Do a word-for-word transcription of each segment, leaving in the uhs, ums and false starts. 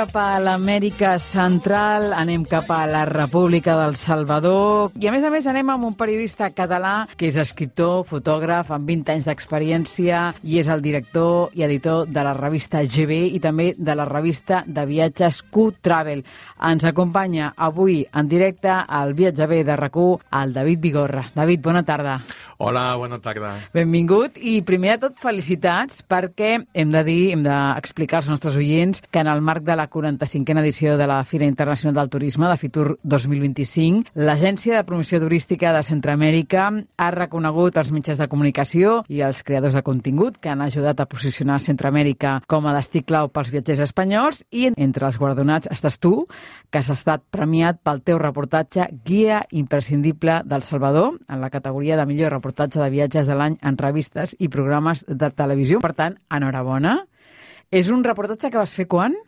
cap a l'Amèrica Central, anem cap a la República del Salvador i, a més a més, anem amb un periodista català que és escriptor, fotògraf, amb vint anys d'experiència i és el director i editor de la revista G B i també de la revista de viatges Q-Travel. Ens acompanya avui en directe al Viatge B de RAC u el David Vigorra. David, bona tarda. Hola, bona tarda. Benvingut i, primer de tot, felicitats perquè hem de dir, hem d'explicar als nostres oients que en el marc de la quaranta-cinquena edició de la Fira Internacional del Turisme de Fitur dos mil vint-i-cinc, l'Agència de Promoció Turística de Centroamèrica ha reconegut els mitjans de comunicació i els creadors de contingut que han ajudat a posicionar Centroamèrica com a destí clau pels viatgers espanyols i entre els guardonats estàs tu, que has estat premiat pel teu reportatge Guia imprescindible del Salvador en la categoria de millor reportatge de viatges de l'any en revistes i programes de televisió. Per tant, enhorabona. És un reportatge que vas fer quan?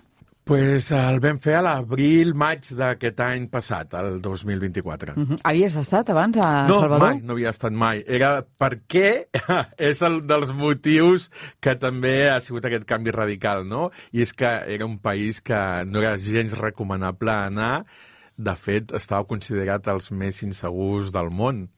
Pues el vam fer a l'abril-maig d'aquest any passat, el dos mil vint-i-quatre. Uh-huh. Havies estat abans a no, Salvador? No, mai, no havia estat mai. Era perquè és el dels motius que també ha sigut aquest canvi radical, no? I és que era un país que no era gens recomanable anar. De fet, estava considerat els més insegurs del món.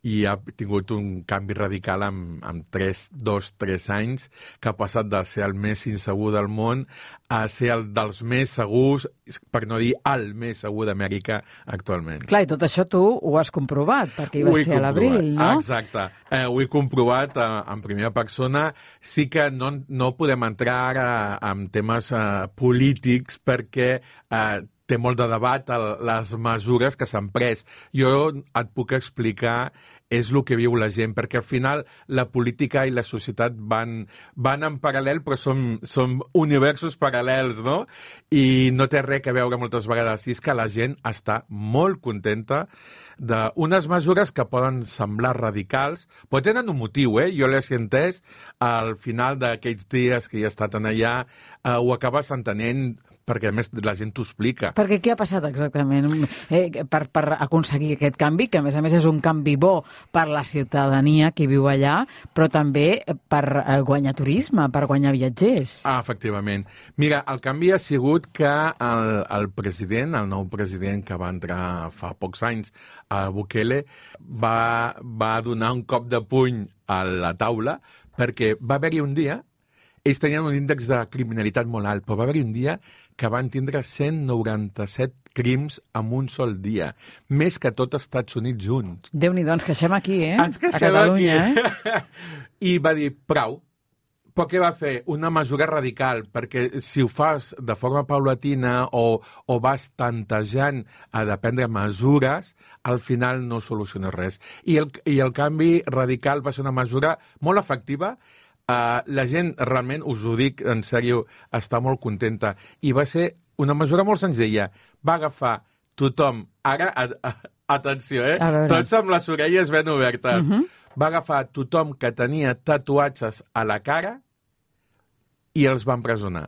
I ha tingut un canvi radical amb, amb tres, dos, tres anys, que ha passat de ser el més insegur del món a ser el dels més segurs, per no dir el més segur d'Amèrica actualment. Clar, i tot això tu ho has comprovat, perquè hi va ser a l'abril, no? Exacte. Eh, ho he comprovat eh, en primera persona. Sí que no, no podem entrar ara en temes eh, polítics perquè eh, té molt de debat el, les mesures que s'han pres. Jo et puc explicar és el que viu la gent, perquè al final la política i la societat van, van en paral·lel, però són, són universos paral·lels, no? I no té res a veure moltes vegades. I és que la gent està molt contenta d'unes mesures que poden semblar radicals, però tenen un motiu, eh? Jo l'he entès, al final d'aquells dies que hi he estat allà, eh, ho acabes entenent, perquè, a més, la gent t'ho explica. Perquè què ha passat exactament eh, per, per aconseguir aquest canvi, que a més a més és un canvi bo per la ciutadania que viu allà, però també per eh, guanyar turisme, per guanyar viatgers? Ah, efectivament. Mira, el canvi ha sigut que el, el president, el nou president que va entrar fa pocs anys, a Bukele, va, va donar un cop de puny a la taula, perquè va haver-hi un dia, ells tenien un índex de criminalitat molt alt, però va haver-hi un dia que van tindre cent noranta-set crims en un sol dia, més que tot els Estats Units junts. Déu-n'hi-do, ens queixem aquí, eh? Ens queixem a Catalunya, aquí. Eh? I va dir, prou. Però què va fer? Una mesura radical, perquè si ho fas de forma paulatina o, o vas tantejant a de prendre mesures, al final no soluciones res. I el, i el canvi radical va ser una mesura molt efectiva. Uh, la gent, realment, us ho dic en sèrio, està molt contenta. I va ser una mesura molt senzilla. Va agafar tothom... Ara, a, a, atenció, eh? Tots amb les orelles ben obertes. Uh-huh. Va agafar tothom que tenia tatuatges a la cara i els va empresonar.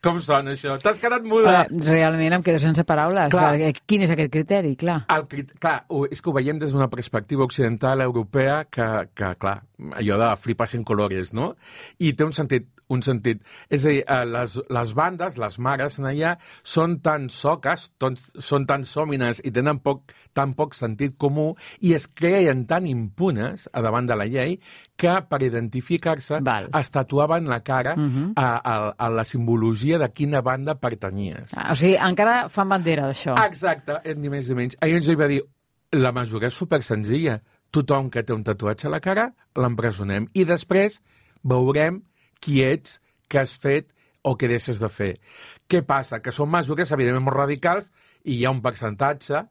Com sona això? T'has quedat muda? Uh, realment em quedo sense paraules. Clar. Quin és aquest criteri? Clar, el, clar és que ho veiem des d'una perspectiva occidental europea que, que clar, allò de flipar en colores, no? I té un sentit, un sentit. És a dir, les, les bandes, les mares en allà, són tan soques, ton, són tan sòmines i tenen poc, tan poc sentit comú i es creien tan impunes a davant de la llei que per identificar-se Val. es tatuaven la cara uh-huh. a, a, a la simbologia de quina banda pertanyies. Ah, o sigui, encara fan bandera d'això. Exacte, ni més ni menys. Ahir ens hi va dir, la mesura és supersenzilla. Tothom que té un tatuatge a la cara, l'empresonem. I després veurem qui ets, què has fet o què deixes de fer. Què passa? Que són mesures, evidentment, molt radicals i hi ha un percentatge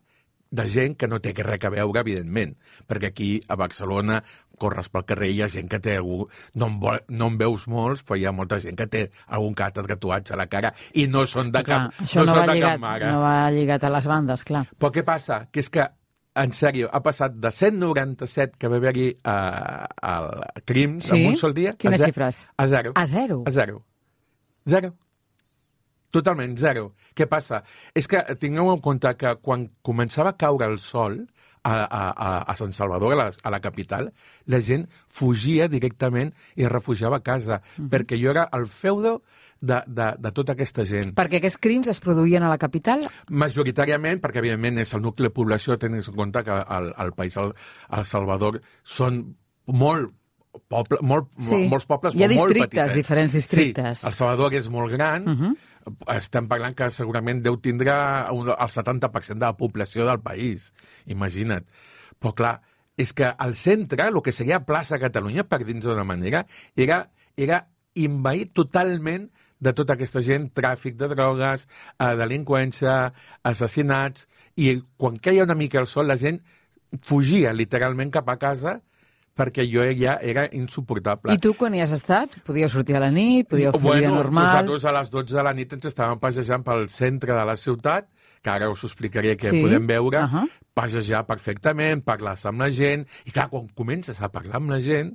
de gent que no té res a veure, evidentment. Perquè aquí, a Barcelona, corres pel carrer i hi ha gent que té algú... No en, vol, no en veus molts, però hi ha molta gent que té algun que altre tatuatge a la cara i no són de clar, cap, això no no són va de lligat, cap mare. No va lligat a les bandes, clar. Però què passa? Que és que, en sèrio, ha passat de cent noranta-set que va haver-hi uh, uh, crims sí? en un sol dia... Quines a xifres? A zero. A zero? A zero. Zero. Totalment, zero. Què passa? És que tingueu en compte que quan començava a caure el sol a, a, a Sant Salvador, a la, a la capital, la gent fugia directament i es refugiava a casa, mm-hmm. perquè jo era el feudo de, de, de tota aquesta gent. Perquè aquests crims es produïen a la capital? Majoritàriament, perquè evidentment és el nucli de població, tenint en compte que el, el país, el, el Salvador, són molt Poble, molt, sí. molts pobles Hi ha molt districtes, petitets. diferents districtes. Sí, el Salvador és molt gran. Uh-huh. Estem parlant que segurament deu tindre un, el setanta per cent de la població del país. Imagina't. Però clar, és que al centre, el que seria plaça Catalunya, per dins d'una manera, era, era invaït totalment de tota aquesta gent, tràfic de drogues, eh, delinqüència, assassinats, i quan queia una mica el sol, la gent fugia literalment cap a casa perquè jo ja era insuportable. I tu, quan hi has estat? Podíeu sortir a la nit? Podíeu fer bueno, vida normal? Nosaltres a les dotze de la nit ens estàvem passejant pel centre de la ciutat, que ara us explicaré què sí? podem veure, uh-huh. passejar perfectament, parlar amb la gent, i clar, quan comences a parlar amb la gent,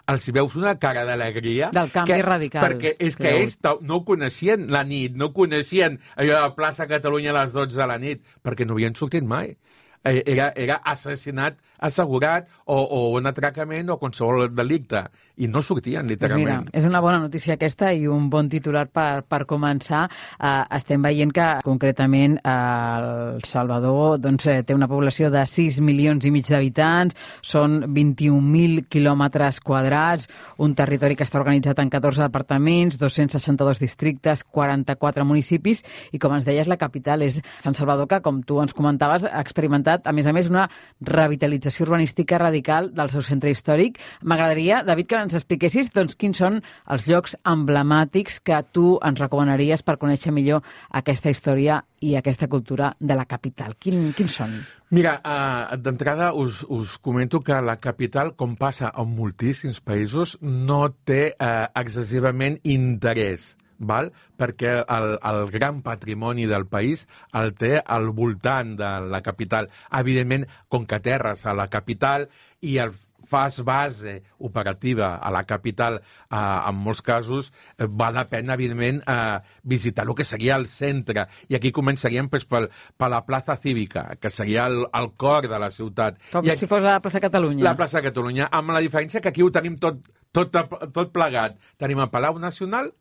els veus una cara d'alegria... Del canvi que, radical. Perquè és que ells no coneixien la nit, no coneixien allò de la plaça Catalunya a les dotze de la nit, perquè no havien sortit mai. Era, era assassinat assegurat o, o un atracament o qualsevol delicte. I no sortien, literalment. Pues mira, és una bona notícia aquesta i un bon titular per, per començar. Uh, estem veient que, concretament, uh, El Salvador doncs, té una població de sis milions i mig d'habitants, són vint-i-un mil quilòmetres quadrats, un territori que està organitzat en catorze departaments, dos-cents seixanta-dos districtes, quaranta-quatre municipis, i com ens deies, la capital és Sant Salvador, que, com tu ens comentaves, ha experimentat, a més a més, una revitalització urbanística radical del seu centre històric. M'agradaria, David, que ens expliquessis doncs, quins són els llocs emblemàtics que tu ens recomanaries per conèixer millor aquesta història i aquesta cultura de la capital. Quin, quins són? Mira, uh, d'entrada us, us comento que la capital, com passa en moltíssims països, no té uh, excessivament interès. Val? Perquè el, el gran patrimoni del país el té al voltant de la capital. Evidentment, com que terres a la capital i el fas base operativa a la capital, eh, en molts casos, eh, val la pena, evidentment, eh, visitar el que seria el centre. I aquí començaríem pues, per, per la plaça cívica, que seria el, el cor de la ciutat. Com I aquí, si fos la plaça Catalunya. La plaça Catalunya, amb la diferència que aquí ho tenim tot, tot, tot plegat. Tenim el Palau Nacional,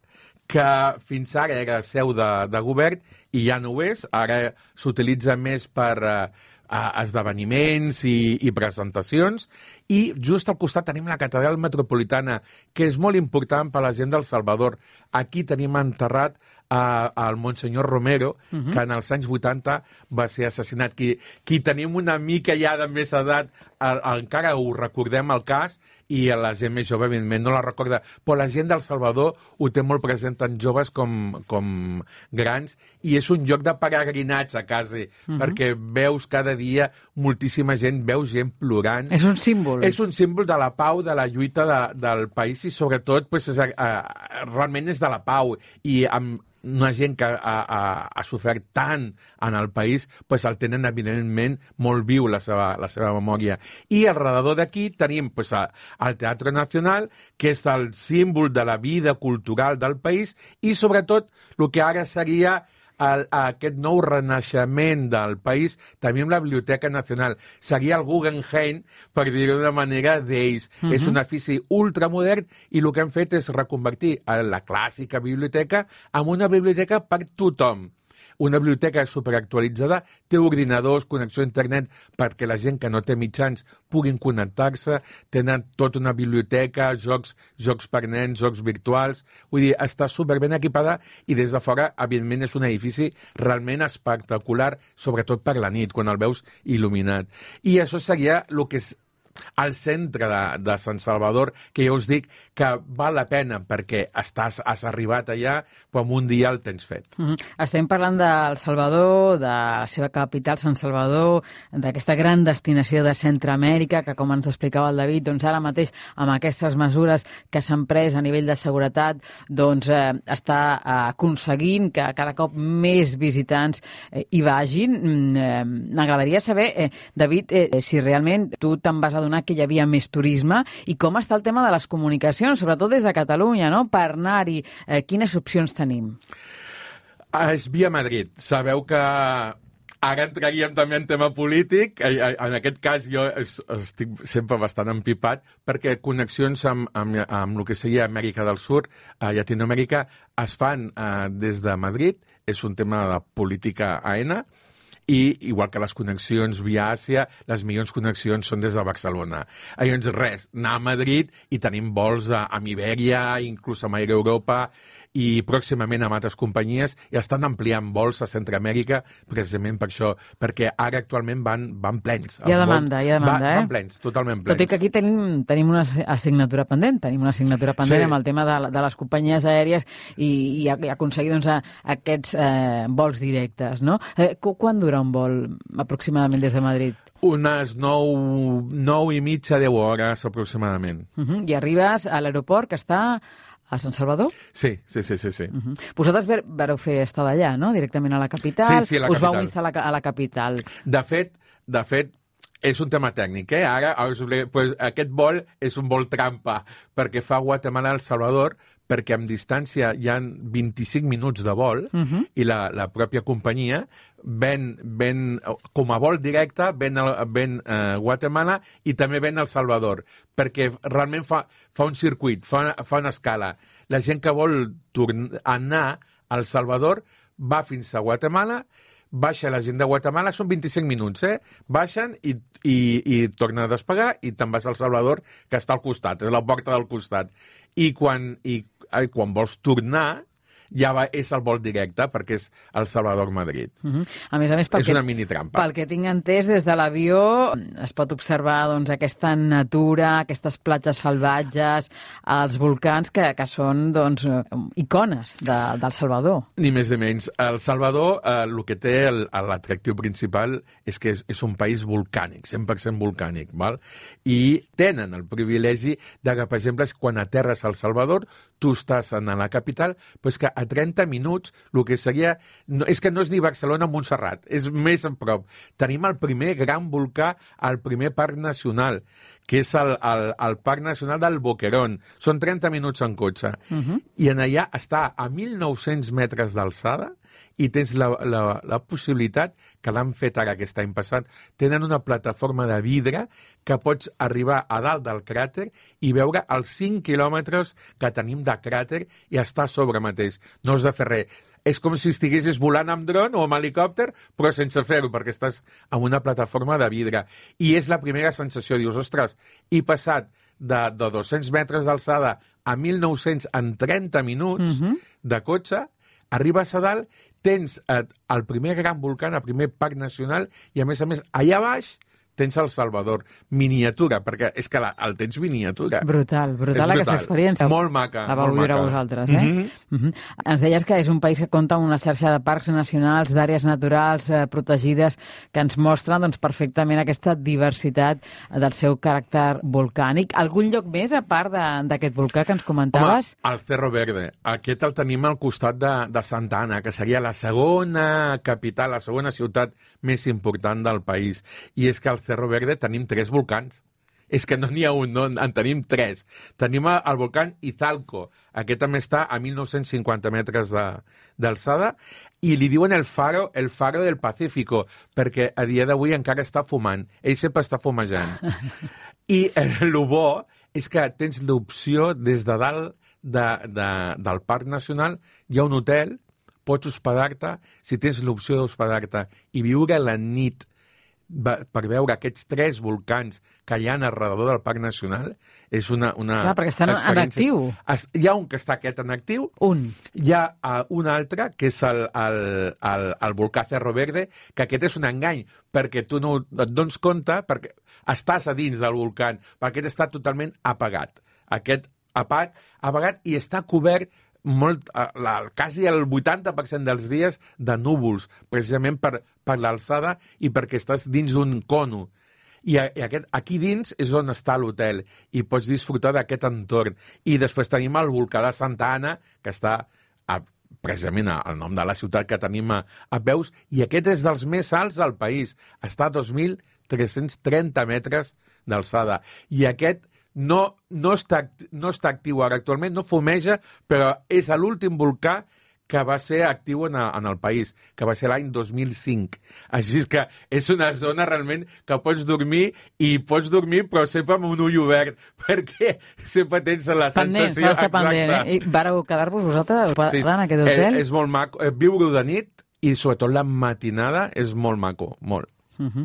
que fins ara era seu de, de govern i ja no ho és, ara s'utilitza més per eh, esdeveniments i, i presentacions, i just al costat tenim la catedral metropolitana, que és molt important per a la gent del Salvador. Aquí tenim enterrat al Monsenyor Romero, uh-huh. que en els anys vuitanta va ser assassinat. Qui, qui tenim una mica ja de més edat, el, encara ho recordem el cas, i la gent més jove, evidentment, no la recorda. Però la gent del Salvador ho té molt present, tant joves com, com grans, i és un lloc de peregrinatge, quasi, uh-huh. perquè veus cada dia moltíssima gent, veus gent plorant. És un símbol. És un símbol de la pau, de la lluita de, del país, i sobretot pues, és, uh, realment és de la pau. I amb una gent que ha, ha, ha sofert tant en el país, pues el tenen evidentment molt viu la seva, la seva memòria. I alrededor d'aquí tenim pues, a, el Teatre Nacional, que és el símbol de la vida cultural del país, i sobretot el que ara seria el, aquest nou renaixement del país, també amb la Biblioteca Nacional. Seria el Guggenheim, per dir-ho d'una manera, d'ells. Uh-huh. És un edifici ultramodern i el que han fet és reconvertir la clàssica biblioteca en una biblioteca per tothom. Una biblioteca superactualitzada, té ordinadors, connexió a internet perquè la gent que no té mitjans puguin connectar-se, tenen tota una biblioteca, jocs, jocs per nens, jocs virtuals, vull dir, està superben equipada i des de fora, evidentment, és un edifici realment espectacular, sobretot per la nit, quan el veus il·luminat. I això seria el que és al centre de, de Sant Salvador, que jo us dic que val la pena perquè estàs, has arribat allà, però en un dia el tens fet. Mm-hmm. Estem parlant del Salvador, de la seva capital, Sant Salvador, d'aquesta gran destinació de Centroamèrica, que, com ens explicava el David, doncs ara mateix, amb aquestes mesures que s'han pres a nivell de seguretat, doncs eh, està eh, aconseguint que cada cop més visitants eh, hi vagin. Eh, M'agradaria saber, eh, David, eh, si realment tu te'n vas adonar que hi havia més turisme i com està el tema de les comunicacions, sobretot des de Catalunya, no? Per anar-hi, eh, quines opcions tenim? És via Madrid. Sabeu que Ara entraríem també en tema polític. En aquest cas jo estic sempre bastant empipat perquè connexions amb, amb, amb el que seria Amèrica del Sud, a Llatinoamèrica, es fan eh, des de Madrid. És un tema de política aena. I, igual que les connexions via Àsia, les millors connexions són des de Barcelona. Llavors, res, anar a Madrid i tenim vols a, amb Ibèria, inclús amb Air Europa, i pròximament amb altres companyies, i estan ampliant vols a Centroamèrica precisament per això, perquè ara actualment van, van plens. Hi ha demanda, hi ha demanda, va, eh? Van plens, totalment plens. Tot i que aquí tenim, tenim una assignatura pendent, tenim una assignatura pendent sí. amb el tema de, de les companyies aèries i, i, i aconseguir doncs, a, aquests eh, vols directes, no? Eh, quan dura un vol aproximadament des de Madrid? Unes nou, nou i mitja, deu hores aproximadament. Uh -huh. I arribes a l'aeroport que està a Sant Salvador? Sí, sí, sí, sí. sí. Uh-huh. Vosaltres vareu fer estar d'allà, no? Directament a la capital. Sí, sí, a la Us capital. vau instal·lar a la capital. De fet, de fet, és un tema tècnic, eh? Ara, pues, aquest vol és un vol trampa, perquè fa Guatemala a El Salvador, perquè amb distància hi ha vint-i-cinc minuts de vol, uh-huh. i la, la pròpia companyia ven, ven com a vol directe, ven, ven uh, Guatemala i també ven El Salvador, perquè realment fa, fa un circuit, fa, fa una escala. La gent que vol tornar, anar a El Salvador va fins a Guatemala, baixa la gent de Guatemala, són vint-i-cinc minuts, eh? Baixen i, i, i tornen a despegar i te'n vas al Salvador, que està al costat, és la porta del costat. I quan, i, i quan vols tornar, ja va, és el vol directe, perquè és El Salvador-Madrid. Uh-huh. A més a més, és una mini trampa. Pel que tinc entès, des de l'avió es pot observar doncs, aquesta natura, aquestes platges salvatges, els volcans que, que són doncs, icones de, del Salvador. Ni més ni menys. El Salvador, eh, el que té l'atractiu principal és que és, és un país volcànic, cent per cent volcànic, val? I tenen el privilegi de que, per exemple, quan aterres al Salvador, tu estàs en la capital, però que a trenta minuts, el que seria... No, és que no és ni Barcelona o Montserrat, és més a prop. Tenim el primer gran volcà al primer parc nacional, que és el, el, el Parc Nacional del Boquerón. Són trenta minuts en cotxe. Uh-huh. I en allà està a mil nou-cents metres d'alçada i tens la, la, la possibilitat, que l'han fet ara aquest any passat, tenen una plataforma de vidre que pots arribar a dalt del cràter i veure els cinc quilòmetres que tenim de cràter i estar a sobre mateix. No has de fer res. És com si estiguessis volant amb dron o amb helicòpter, però sense fer-ho, perquè estàs en una plataforma de vidre. I és la primera sensació. Dius, ostres, he passat de, de dos-cents metres d'alçada a mil nou-cents en trenta minuts uh-huh. de cotxe, arribes a dalt, tens eh, el primer gran volcà, el primer parc nacional, i a més a més, allà baix tens El Salvador, miniatura, perquè és que la, el tens miniatura. Brutal, brutal, brutal aquesta experiència. Molt maca. La vau viure vosaltres, eh? Mm-hmm. Mm-hmm. Ens deies que és un país que compta amb una xarxa de parcs nacionals, d'àrees naturals eh, protegides, que ens mostren doncs, perfectament aquesta diversitat del seu caràcter volcànic. Algun lloc més, a part d'aquest volcà que ens comentaves? Home, el Cerro Verde. Aquest el tenim al costat de, de Santa Ana, que seria la segona capital, la segona ciutat més important del país. I és que al Cerro Verde tenim tres volcans. És que no n'hi ha un, no, en tenim tres. Tenim el volcán Izalco. Aquest també està a mil nou-cents cinquanta metres d'alçada i li diuen el faro, el faro del Pacífico, perquè a dia d'avui encara està fumant. Ell sempre està fumejant. I el bo és que tens l'opció des de dalt de, de, del Parc Nacional, hi ha un hotel, pots hospedar-te, si tens l'opció d'hospedar-te i viure la nit per veure aquests tres volcans que hi ha al redador del Parc Nacional, és una, una Clar, perquè estan en actiu. Hi ha un que està aquest en actiu, un. Hi ha uh, un altre, que és el, el, el, el volcà Cerro Verde, que aquest és un engany, perquè tu no et dones compte, perquè estàs a dins del volcà, perquè aquest està totalment apagat. Aquest apagat, apagat i està cobert molt, la, quasi el vuitanta per cent dels dies de núvols, precisament per, per l'alçada i perquè estàs dins d'un cono. I, i aquest, aquí dins és on està l'hotel i pots disfrutar d'aquest entorn. I després tenim el volcà de Santa Ana, que està a, precisament al nom de la ciutat que tenim a, a peus, i aquest és dels més alts del país. Està a dos mil tres-cents trenta metres d'alçada. I aquest No, no, està, no està actiu ara actualment, no fumeja, però és l'últim volcà que va ser actiu en, a, en el país, que va ser l'any dos mil cinc. Així és que és una zona realment que pots dormir i pots dormir però sempre amb un ull obert, perquè sempre tens la pendent, sensació... Pendent, s'ha pendent, eh? I vareu quedar-vos vosaltres sí, en aquest hotel? És, és molt maco. Viure-ho de nit i sobretot la matinada és molt maco, molt. Uh -huh.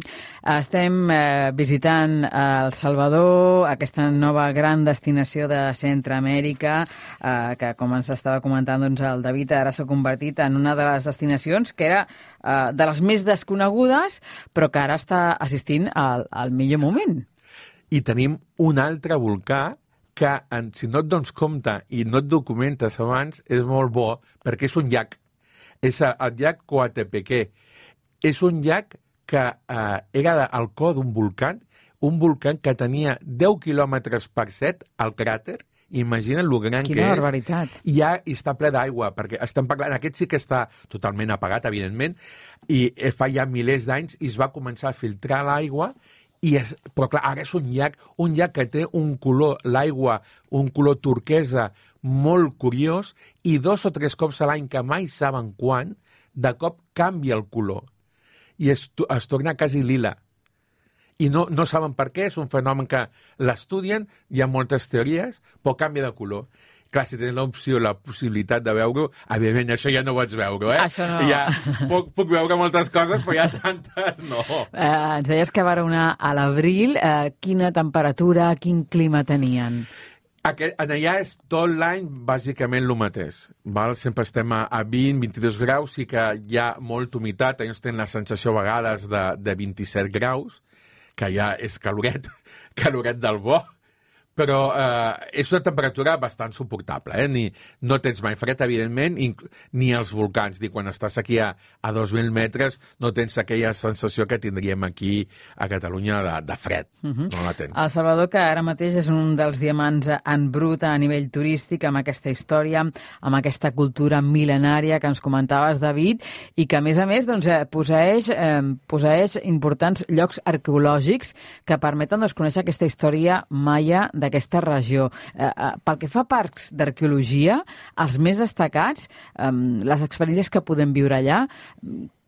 Estem eh, visitant El Salvador, aquesta nova gran destinació de Centroamèrica, eh, que, com ens estava comentant doncs, el David, ara s'ha convertit en una de les destinacions que era eh, de les més desconegudes, però que ara està assistint al, al millor moment. I tenim un altre volcà que, en, si no et dones compte i no et documentes abans, és molt bo, perquè és un llac. És el llac Coatepeque. És un llac que eh, era al cor d'un volcà, un volcà que tenia deu quilòmetres per set al cràter. Imagina't lo gran Quina que és. barbaritat. I ja hi està ple d'aigua, perquè estem parlant... Aquest sí que està totalment apagat, evidentment, i fa ja milers d'anys i es va començar a filtrar l'aigua, i és, però clar, ara és un llac, un llac que té un color, l'aigua, un color turquesa molt curiós, i dos o tres cops a l'any, que mai saben quan, de cop canvia el color i es, es torna quasi lila. I no, no saben per què, és un fenomen que l'estudien, hi ha moltes teories, però canvia de color. Clar, si tens l'opció, la possibilitat de veure-ho, evidentment, això ja no ho pots veure, eh? Això no. Ja, puc, puc veure moltes coses, però ja tantes no. Eh, ens deies que va anar a l'abril. Eh, quina temperatura, quin clima tenien? Aquest, en allà és tot l'any bàsicament el mateix. Val? Sempre estem a, a vint, vint-i-dos graus, sí que hi ha molta humitat, ells tenen la sensació a vegades de, de vint-i-set graus, que ja és caloret, caloret del bo, però eh, és una temperatura bastant suportable, eh? Ni, no tens mai fred, evidentment, ni als volcans, ni quan estàs aquí a, a dos mil metres no tens aquella sensació que tindríem aquí a Catalunya de, de fred. Uh-huh. No la tens. El Salvador, que ara mateix és un dels diamants en brut a nivell turístic, amb aquesta història, amb aquesta cultura mil·lenària que ens comentaves, David, i que, a més a més, doncs, eh, posseix, eh, posseix importants llocs arqueològics que permeten doncs, conèixer aquesta història maia de d'aquesta regió. Eh, eh, pel que fa a parcs d'arqueologia, els més destacats, eh, les experiències que podem viure allà,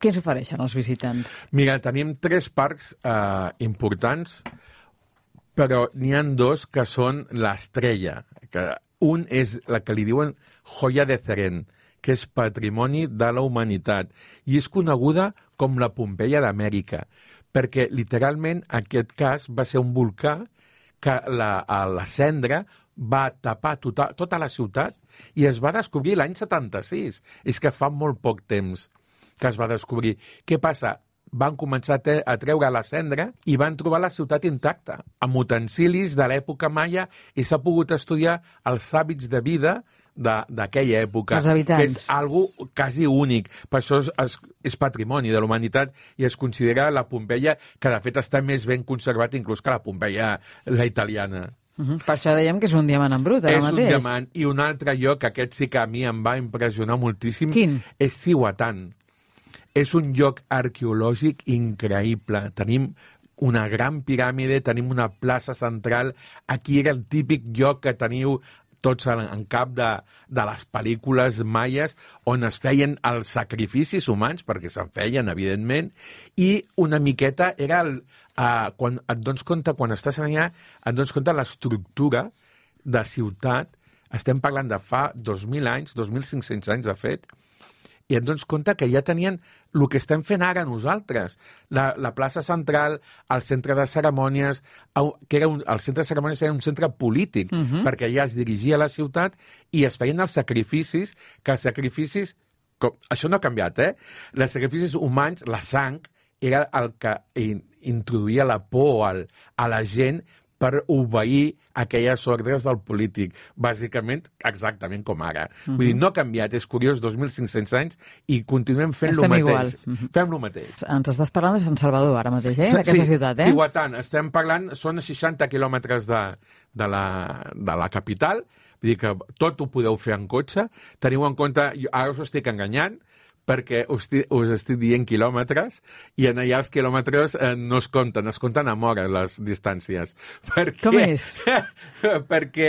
què ens ofereixen els visitants? Mira, tenim tres parcs eh, importants, però n'hi ha dos que són l'estrella. Que un és la que li diuen Joya de Cerén, que és patrimoni de la humanitat, i és coneguda com la Pompeia d'Amèrica, perquè literalment aquest cas va ser un volcà que la, la cendra va tapar tota, tota la ciutat i es va descobrir l'any setanta-sis. És que fa molt poc temps que es va descobrir. Què passa? Van començar a, te, a treure la cendra i van trobar la ciutat intacta, amb utensilis de l'època maia, i s'ha pogut estudiar els hàbits de vida d'aquella època, que és algo quasi únic. Per això és, és, és patrimoni de la humanitat i es considera la Pompeia, que de fet està més ben conservat inclús que la Pompeia, la italiana. Uh-huh. Per això dèiem que és un diamant en brut, ara és mateix. És un diamant. I un altre lloc, aquest sí que a mi em va impressionar moltíssim, Quin? És Cihuatán. És un lloc arqueològic increïble. Tenim una gran piràmide, tenim una plaça central. Aquí era el típic lloc que teniu tots en, en cap de, de les pel·lícules maies, on es feien els sacrificis humans, perquè se'n feien, evidentment, i una miqueta era el, uh, quan et dones compte, quan estàs allà, et dones compte l'estructura de ciutat. Estem parlant de fa dos mil anys, dos mil cinc-cents anys, de fet, i et dones compte que ja tenien el que estem fent ara nosaltres. La, la plaça central, el centre de cerimònies, que era un, el centre de cerimònies era un centre polític, uh-huh. perquè allà es dirigia a la ciutat i es feien els sacrificis, que els sacrificis, com, això no ha canviat, eh? Els sacrificis humans, la sang, era el que in, introduïa la por al, a la gent per obeir aquelles ordres del polític. Bàsicament, exactament com ara. Uh-huh. Vull dir, no ha canviat, és curiós, dos mil cinc-cents anys, i continuem fent el mateix. Uh-huh. Fem el mateix. Ens estàs parlant de Sant Salvador, ara mateix, eh? D'aquesta sí, ciutat, eh? Sí, Cihuatán. Estem parlant, són seixanta quilòmetres de, de, la, de la capital, vull dir que tot ho podeu fer en cotxe. Teniu en compte, ara us estic enganyant, perquè us, us estic dient quilòmetres, i en allà els quilòmetres eh, no es compten, es compten amb hores les distàncies. Perquè, com és? perquè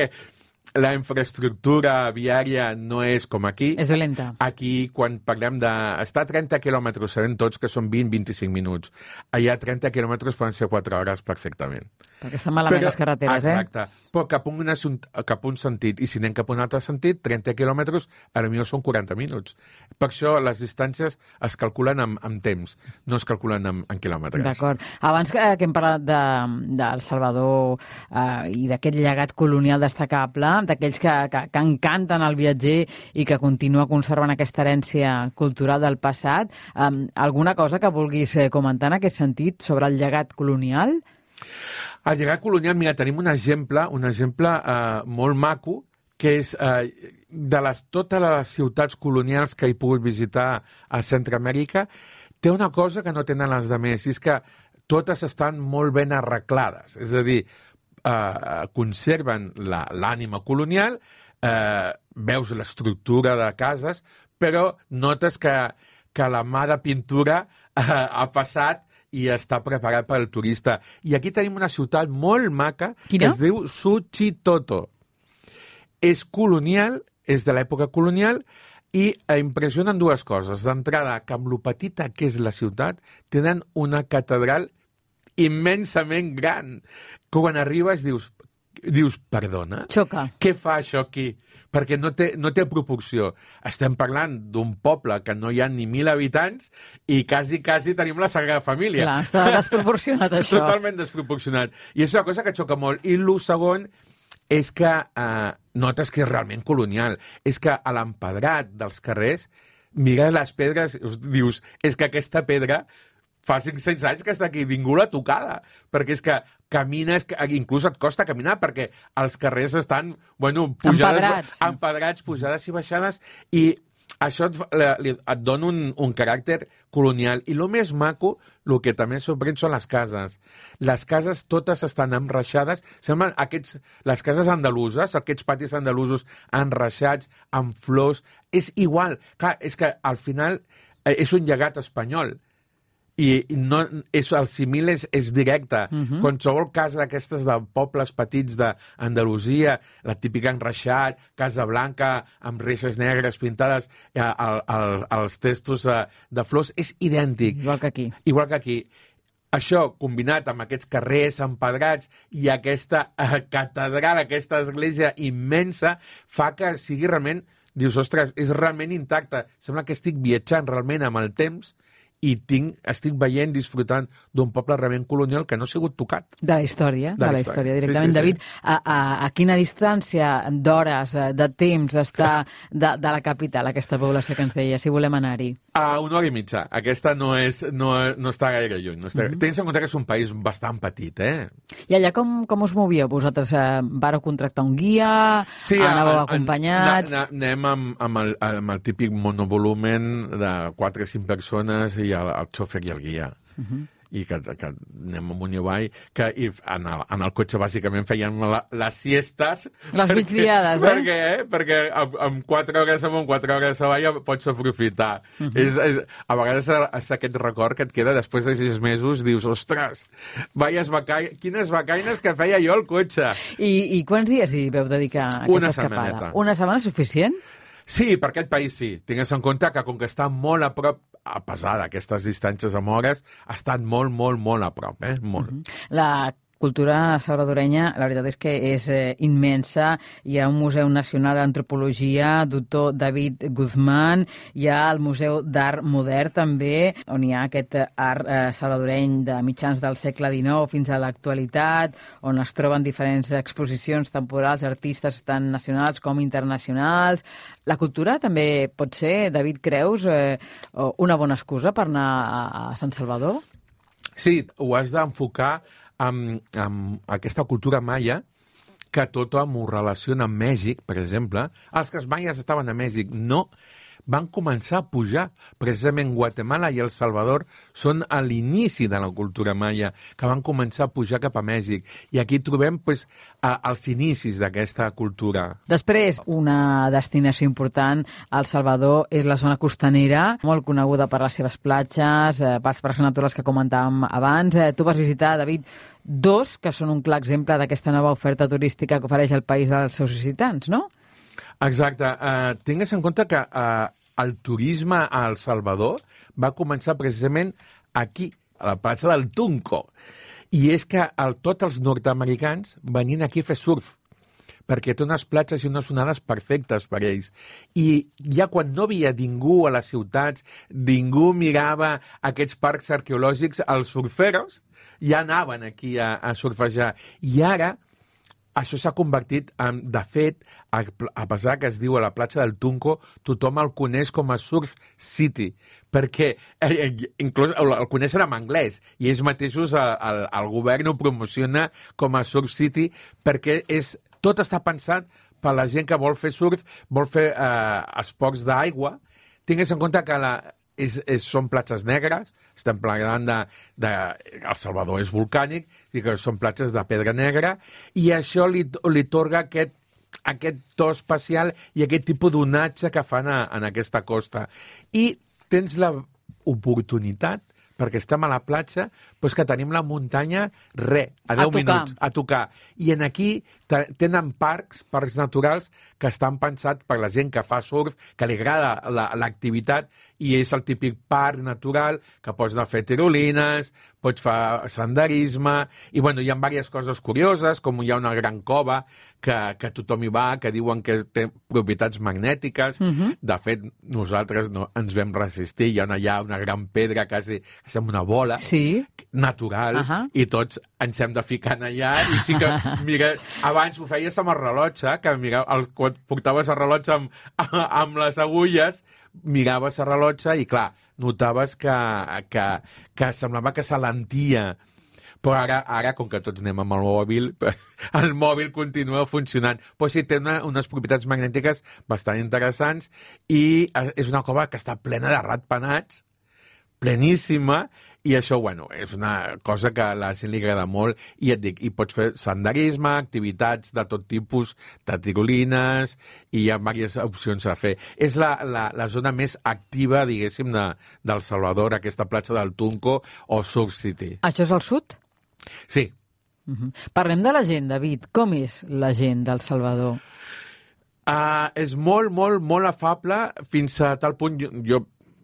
la infraestructura viària no és com aquí. És dolenta. Aquí, quan parlem de... Està a trenta quilòmetres, sabem tots que són vint a vint-i-cinc minuts. Allà trenta quilòmetres poden ser quatre hores perfectament. Perquè estan malament Però, les carreteres, exacte, eh? Però cap a, un, cap a un sentit. I si anem cap a un altre sentit, trenta quilòmetres, a millor són quaranta minuts. Per això les distàncies es calculen amb, amb temps, no es calculen amb, amb quilòmetres. D'acord. Abans que, que hem parlat de, del Salvador eh, i d'aquest llegat colonial destacable, d'aquells que, que, que encanten el viatger i que continua conservant aquesta herència cultural del passat, eh, alguna cosa que vulguis comentar en aquest sentit sobre el llegat colonial? El llegat colonial, mira, tenim un exemple, un exemple eh, molt maco, que és eh, de les, totes les ciutats colonials que he pogut visitar a Centroamèrica, té una cosa que no tenen les altres, i és que totes estan molt ben arreglades. És a dir, eh, conserven l'ànima colonial, eh, veus l'estructura de cases, però notes que, que la mà de pintura eh, ha passat i està preparat per al turista. I aquí tenim una ciutat molt maca Quina? Que es diu Suchitoto. És colonial, és de l'època colonial, i impressionen dues coses. D'entrada, que amb lo petita que és la ciutat, tenen una catedral immensament gran. Quan arribes dius, dius perdona? Xoca. Què fa això aquí? Perquè no té, no té proporció. Estem parlant d'un poble que no hi ha ni mil habitants i quasi, quasi tenim la Sagrada Família. Clar, està desproporcionat, això. Totalment desproporcionat. I és una cosa que xoca molt. I el segon és que eh, notes que és realment colonial. És que a l'empedrat dels carrers mires les pedres i dius, és que aquesta pedra fa cinc-cents anys que està aquí, ningú l'ha tocada, perquè és que camines, inclús et costa caminar, perquè els carrers estan, bueno, pujades, empedrats. empedrats, pujades i baixades, i això et, et dona un, un caràcter colonial. I el més maco, el que també sorprèn són les cases. Les cases totes estan enreixades, semblen aquests, les cases andaluses, aquests patis andalusos enreixats, amb flors, és igual. Clar, és que al final és un llegat espanyol, i no, és, el simil és, és directe. Uh-huh. Qualsevol casa d'aquestes de pobles petits d'Andalusia, la típica enreixat, Casa Blanca, amb reixes negres pintades eh, al, al, als testos de, de flors, és idèntic. Igual que aquí. Igual que aquí. Això, combinat amb aquests carrers empedrats i aquesta eh, catedral, aquesta església immensa, fa que sigui realment, dius, ostres, és realment intacte. Sembla que estic viatjant realment amb el temps i tinc, estic veient, disfrutant d'un poble realment colonial que no ha sigut tocat. De la història, de, de la història, directament. Sí, sí, David, sí. A, a, a quina distància d'hores, de temps està de, de la capital, aquesta població que ens deia, si volem anar-hi? A una hora i mitja. Aquesta no, és, no, no està gaire lluny. No està... mm-hmm. Tens en compte que és un país bastant petit, eh? I allà com, com us movíeu? Vosaltres eh, vareu contractar un guia? Sí, anàveu a, acompanyats? A, a, anem amb, amb, el, amb el típic monovolumen de quatre o cinc persones i el, el xòfer i el guia. Uh-huh. I que, que anem amunt i avall, que i en, el, en el cotxe bàsicament fèiem la, les siestes. Les migdiades, eh? Perquè, eh? perquè amb, amb quatre hores amunt, quatre hores avall pots aprofitar. Uh-huh. és, és, a vegades és aquest record que et queda després de sis mesos, dius, ostres, vaies vaca... quines vacaines que feia jo al cotxe. I, i quants dies hi veu dedicar a aquesta Una escapada? setmaneta. Una setmana suficient? Sí, per aquest país sí. Tingues en compte que com que està molt a prop, a pesar d'aquestes distàncies amb hores, ha estat molt, molt, molt a prop, eh? Molt. Mm-hmm. La cultura salvadorenya, la veritat és que és eh, immensa. Hi ha un Museu Nacional d'Antropologia, doctor David Guzmán, hi ha el Museu d'Art Modern també, on hi ha aquest art eh, salvadoreny de mitjans del segle dinou fins a l'actualitat, on es troben diferents exposicions temporals d'artistes tant nacionals com internacionals. La cultura també pot ser, David, creus, eh, una bona excusa per anar a, a Sant Salvador? Sí, ho has d'enfocar amb, amb aquesta cultura maia, que tot ho relaciona amb Mèxic, per exemple. Els que maies estaven a Mèxic no van començar a pujar. Precisament Guatemala i El Salvador són a l'inici de la cultura maia, que van començar a pujar cap a Mèxic. I aquí trobem pues, a, els inicis d'aquesta cultura. Després, una destinació important al Salvador és la zona costanera, molt coneguda per les seves platges, eh, pels parcs naturals que comentàvem abans. Eh, tu vas visitar, David, dos que són un clar exemple d'aquesta nova oferta turística que ofereix el país dels seus visitants, no? Exacte. Uh, tingues en compte que uh, el turisme a El Salvador va començar precisament aquí, a la plaça del Tunco. I és que el, tots els nord-americans venien aquí a fer surf, perquè té unes platges i unes onades perfectes per ells. I ja quan no havia ningú a les ciutats, ningú mirava aquests parcs arqueològics, els surferos ja anaven aquí a, a surfejar. I ara això s'ha convertit en, de fet, a, a pesar que es diu a la platja del Tunco, tothom el coneix com a Surf City, perquè eh, inclús el, el coneixen en anglès, i ells mateixos, el, el, el govern ho promociona com a Surf City, perquè és, tot està pensat per la gent que vol fer surf, vol fer eh, esports d'aigua. Tingues en compte que la, és, és, són platges negres, estem parlant de, de... El Salvador és volcànic, i que són platges de pedra negra, i això li, li torga aquest, aquest to especial i aquest tipus d'onatge que fan a, en aquesta costa. I tens l'oportunitat, perquè estem a la platja, doncs que tenim la muntanya, re, a deu minuts, a tocar. I en aquí tenen parcs, parcs naturals, que estan pensats per la gent que fa surf, que li agrada l'activitat, i és el típic parc natural, que pots anar a fer tirolines, pots fer senderisme, i bueno, hi ha diverses coses curioses, com hi ha una gran cova que, que tothom hi va, que diuen que té propietats magnètiques. Uh-huh. De fet, nosaltres no ens vam resistir, hi ha una, hi ha una gran pedra quasi, que sembla una bola, sí, natural, uh-huh, i tots ens hem de ficar allà, i sí que, mira, abans ho feies amb el rellotge, que mira, el, quan portaves el rellotge amb, amb les agulles, miraves el rellotge i, clar, notaves que, que, que semblava que s'alentia. Però ara, ara, com que tots anem amb el mòbil, el mòbil continua funcionant. Però sí, té una, unes propietats magnètiques bastant interessants i és una cova que està plena de ratpenats, pleníssima, i això, bueno, és una cosa que a la gent li agrada molt, i et dic, i pots fer senderisme, activitats de tot tipus, de tirolines, i hi ha diverses opcions a fer. És la, la, la zona més activa, diguéssim, de, del Salvador, aquesta platja del Tunco o Surf City. Això és al sud? Sí. Uh-huh. Parlem de la gent, David. Com és la gent del Salvador? Uh, és molt, molt, molt afable, fins a tal punt... Jo, jo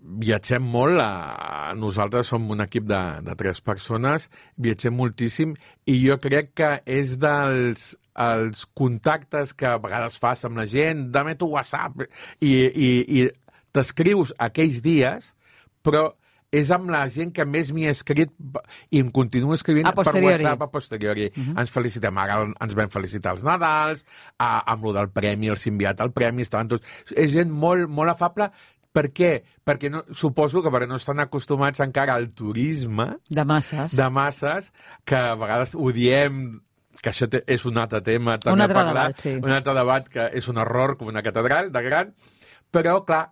viatgem molt, a... nosaltres som un equip de, de tres persones, viatgem moltíssim, i jo crec que és dels els contactes que a vegades fas amb la gent, dame tu WhatsApp, i, i, i t'escrius aquells dies, però és amb la gent que més m'hi he escrit i em continuo escrivint per WhatsApp a posteriori. Uh-huh. Ens felicitem, ara ens vam felicitar els Nadals, a, amb lo del premi, els enviat al premi, estaven tots... És gent molt, molt afable. Per què? Perquè no, suposo que perquè no estan acostumats encara al turisme... De masses. De masses, que a vegades ho diem, que això té, és un altre tema també un altre a parlar, debat, sí. Un altre debat que és un error com una catedral de gran, però, clar,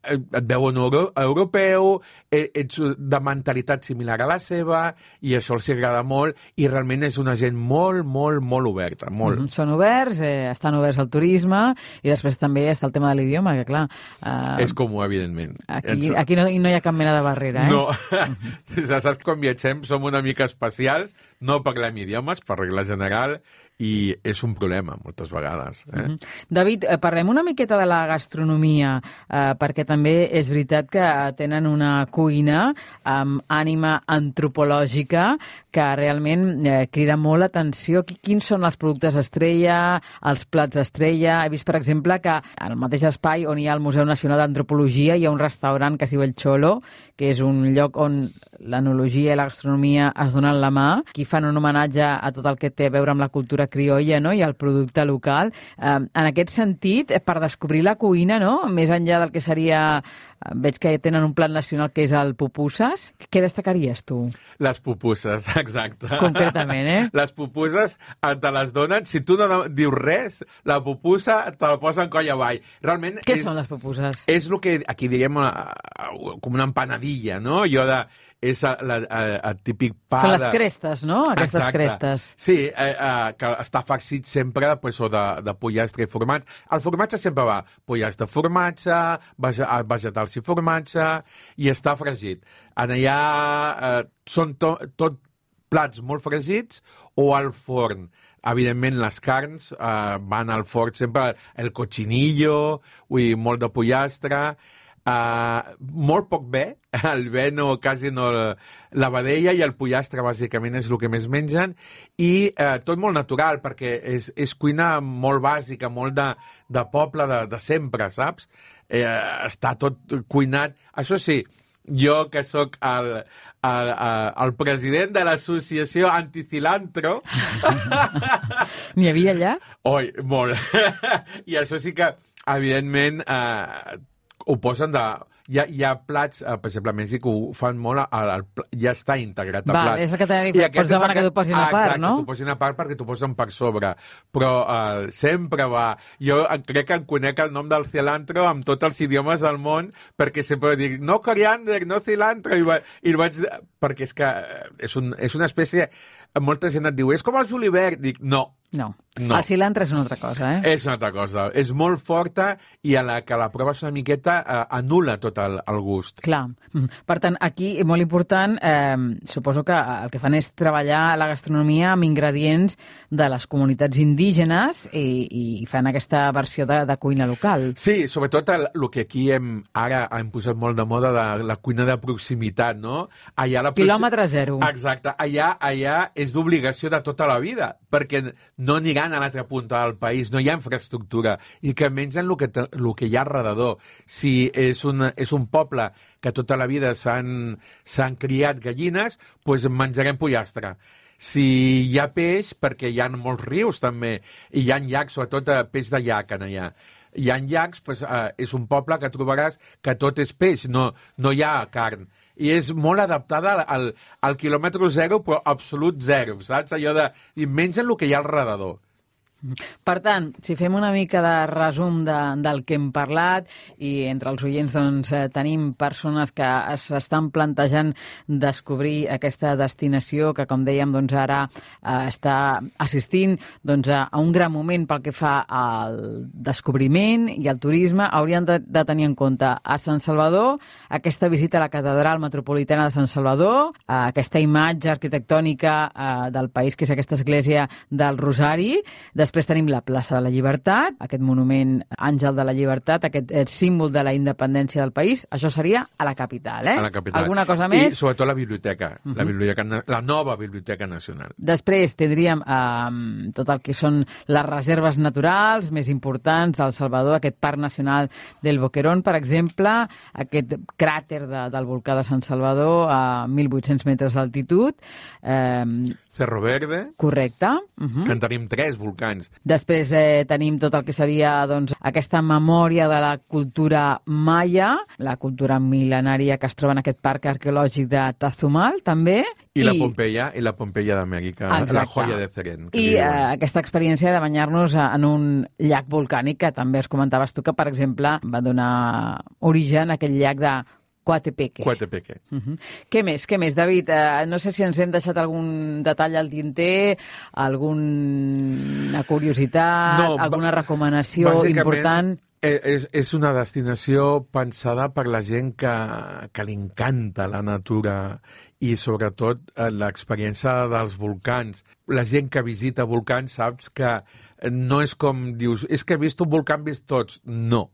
et veuen euro, europeu, ets de mentalitat similar a la seva, i això els agrada molt, i realment és una gent molt, molt, molt oberta. Molt. Mm-hmm. Són oberts, eh, estan oberts al turisme, i després també està el tema de l'idioma, que clar... Eh, és comú, evidentment. Aquí, aquí no, no hi ha cap mena de barrera, eh? No. Mm-hmm. Saps, quan viatgem som una mica especials, no parlem idiomes, per regla general, i és un problema, moltes vegades. Eh? Mm-hmm. David, parlem una miqueta de la gastronomia, eh, perquè també és veritat que tenen una cuina amb ànima antropològica que realment eh, crida molt l'atenció. Quins són els productes estrella, els plats estrella? He vist, per exemple, que al mateix espai on hi ha el Museu Nacional d'Antropologia hi ha un restaurant que es diu El Cholo, que és un lloc on l'enologia i la gastronomia es donen la mà. Aquí fan un homenatge a tot el que té a veure amb la cultura criolla, no?, i el producte local. Eh, en aquest sentit, per descobrir la cuina, no?, més enllà del que seria... Veig que tenen un plat nacional que és el pupusas. Què destacaries, tu? Les pupusas, exacte. Concretament, eh? Les pupusas te les donen, si tu no dius res, la pupusa te la posen coll avall. Realment... Què és, són les pupusas? És el que aquí diguem com una empanadilla, no? Jo de... és el, el, el típic pa... Són les de... crestes, no? Aquestes Exacte. Crestes. Sí, eh, eh, que està farcit sempre pues, o de, de pollastre i formatge. El formatge sempre va pollastre, formatge, vegetals i formatge, i està fregit. En allà eh, són to, tot plats molt fregits o al forn. Evidentment, les carns eh, van al forn sempre, el cochinillo, ui, molt de pollastre, eh, molt poc bé, el bé no, quasi no, la vedella i el pollastre bàsicament és el que més mengen, i eh, tot molt natural, perquè és, és cuina molt bàsica, molt de, de poble, de, de sempre, saps? Eh, està tot cuinat. Això sí, jo que sóc el, el, el president de l'associació anticilantro... N'hi havia allà? Oi, molt. I això sí que, evidentment, eh, ho posen de... Hi ha, hi ha plats, eh, per exemple, a Mèxic ho fan molt, al, al, ja està integrat al Val, plat. és el que t'he dit, pots demanar que t'ho posin a part, exacte, no? Exacte, t'ho posin a part perquè t'ho posen per sobre. Però eh, sempre va... Jo crec que en conec el nom del cilantro amb tots els idiomes del món, perquè sempre dic, no coriander, no cilantro, i, va, i vaig... Perquè és que és, un, és una espècie... Molta gent et diu, és com el julivert. Dic, no. No. No. El cilantre és una altra cosa, eh? És una altra cosa. És molt forta i a la que la proves una miqueta eh, anul·la tot el, el gust. Clar. Per tant, aquí, molt important, eh, suposo que el que fan és treballar la gastronomia amb ingredients de les comunitats indígenes i, i fan aquesta versió de, de cuina local. Sí, sobretot el, el que aquí hem, ara hem posat molt de moda de la cuina de proximitat, no? Allà la proxim... Quilòmetre zero. Exacte. Allà, allà és d'obligació de tota la vida, perquè no aniran a l'altra punta del país, no hi ha infraestructura, i que mengen el que, el que hi ha alrededor. Si és un, és un poble que tota la vida s'han s'han criat gallines, doncs menjarem pollastre. Si hi ha peix, perquè hi ha molts rius també, i hi ha llacs, sobretot peix de llac en allà. Hi ha llacs, doncs, eh, és un poble que trobaràs que tot és peix, no, no hi ha carn. I és molt adaptada al, al quilòmetre zero, però absolut zero, saps? Allò de... I mengen el que hi ha al redador. Per tant, si fem una mica de resum de, del que hem parlat, i entre els oients doncs, eh, tenim persones que s'estan plantejant descobrir aquesta destinació que, com dèiem, doncs, ara eh, està assistint doncs, a, a un gran moment pel que fa al descobriment i al turisme, haurien de, de tenir en compte a Sant Salvador, aquesta visita a la Catedral Metropolitana de Sant Salvador, eh, aquesta imatge arquitectònica eh, del país, que és aquesta església del Rosari. Després tenim la plaça de la Llibertat, aquest monument Àngel de la Llibertat, aquest símbol de la independència del país. Això seria a la capital, eh? A la capital. Alguna cosa més? I sobretot la biblioteca, uh -huh. la, biblioteca la nova Biblioteca Nacional. Després tindríem eh, tot el que són les reserves naturals més importants del Salvador, aquest Parc Nacional del Boquerón, per exemple, aquest cràter de, del volcà de Sant Salvador a mil vuit-cents metres d'altitud. Eh, Cerro Verde. Correcte. Uh -huh. Que en tenim tres volcans. Després eh, tenim tot el que seria doncs, aquesta memòria de la cultura maia, la cultura mil·lenària que es troba en aquest parc arqueològic de Tazumal, també. I, I la Pompeia, i la Pompeia d'Amèrica, la joia de Ceren. I eh, aquesta experiència de banyar-nos en un llac volcànic, que també es comentaves tu, que, per exemple, va donar origen a aquest llac de Coatepeque. Coatepeque. Uh -huh. Què més, què més, David? Uh, no sé si ens hem deixat algun detall al tinter, alguna curiositat, no, alguna recomanació important. És, és una destinació pensada per la gent que, que li encanta la natura i sobretot l'experiència dels volcans. La gent que visita volcans saps que no és com dius, és que he vist un volcà, he vist tots. No,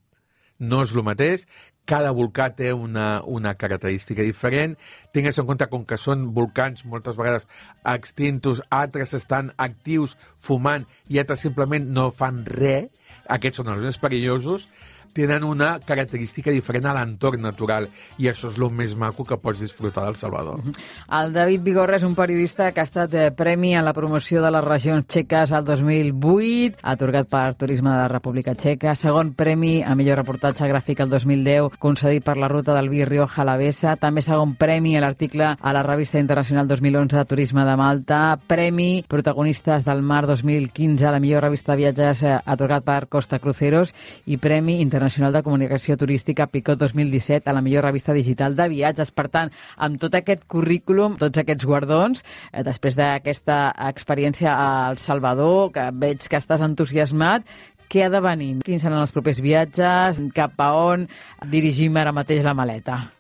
no és el mateix. Cada volcà té una, una característica diferent. Tingues en compte, com que són volcans moltes vegades extintos, altres estan actius fumant i altres simplement no fan res, aquests són els més perillosos, tenen una característica diferent a l'entorn natural, i això és el més maco que pots disfrutar del Salvador. El David Vigorra és un periodista que ha estat eh, premi en la promoció de les regions txeques al dos mil vuit, atorgat per Turisme de la República Txeca, segon premi a millor reportatge gràfic el dos mil deu, concedit per la ruta del vi Rioja Alavesa, també segon premi a l'article a la revista internacional dos mil onze de Turisme de Malta, premi Protagonistes del Mar dos mil quinze a la millor revista de viatges eh, atorgat per Costa Cruceros, i premi internacional Nacional de Comunicació Turística Picot dos mil disset a la millor revista digital de viatges. Per tant, amb tot aquest currículum, tots aquests guardons, eh, després d'aquesta experiència a El Salvador, que veig que estàs entusiasmat, què ha de venir? Quins seran els propers viatges? Cap a on dirigim ara mateix la maleta?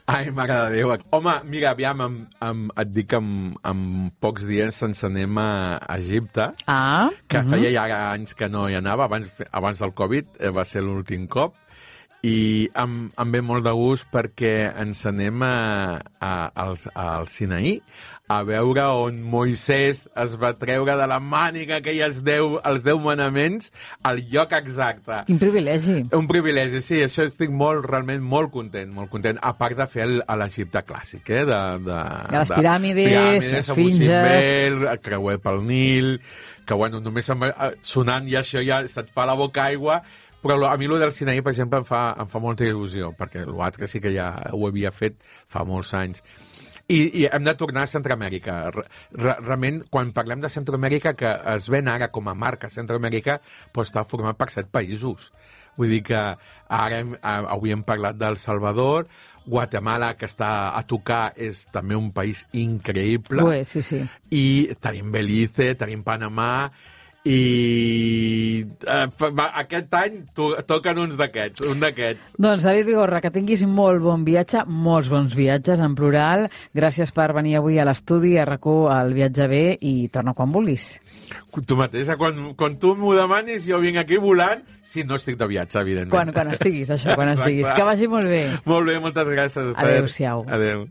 Ai, mare de Déu. Home, mira, aviam, em, em, et dic que en, en pocs dies ens anem a Egipte, Ah. que uh-huh. feia ja anys que no hi anava, abans, abans del Covid, eh, va ser l'últim cop, i em, em ve molt de gust perquè ens anem a, a, al, al Sinaí a veure on Moisès es va treure de la màniga aquelles deu, els deu manaments al lloc exacte. Quin privilegi. Un privilegi, sí, això estic molt, realment molt content, molt content, a part de fer el, a l'Egipte clàssic, eh? De, de, de les piràmides, piràmides esfinges... Bel, el creuer pel Nil, que bueno, només em, sonant i això ja se't fa la boca aigua, però a mi el del Sinaí, per exemple, em fa, em fa molta il·lusió, perquè l'altre sí que ja ho havia fet fa molts anys. I, i hem de tornar a Centroamèrica. Realment, quan parlem de Centroamèrica, que es ven ara com a marca Centroamèrica, però està format per set països. Vull dir que ara hem, avui hem parlat d'El Salvador, Guatemala, que està a tocar, és també un país increïble. Ué, sí, sí. I tenim Belize, tenim Panamà, i eh, aquest any to toquen uns d'aquests, un d'aquests. Doncs David Vigorra, que tinguis molt bon viatge, molts bons viatges en plural. Gràcies per venir avui a l'estudi, a RAC1, al Viatge Bé, i torna quan vulguis. Tu mateixa, quan, quan tu m'ho demanis, jo vinc aquí volant, si no estic de viatge, evidentment. Quan, quan estiguis, això, quan estiguis. Que vagi molt bé. Molt bé, moltes gràcies. Adéu-siau. Adéu.